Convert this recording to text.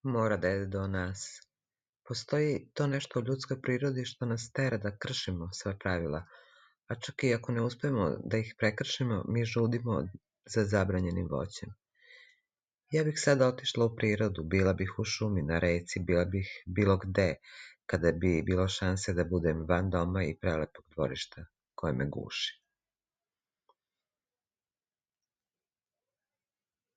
Mora da je do nas. Postoji to nešto u ljudskoj prirodi što nas tera da kršimo sva pravila, a čak i ako ne uspemo da ih prekršimo, mi žudimo za zabranjenim voćem. Ja bih sada otišla u prirodu, bila bih u šumi, na reci, bila bih bilo gde, kada bi bilo šanse da budem van doma i prelepog dvorišta koje me guši.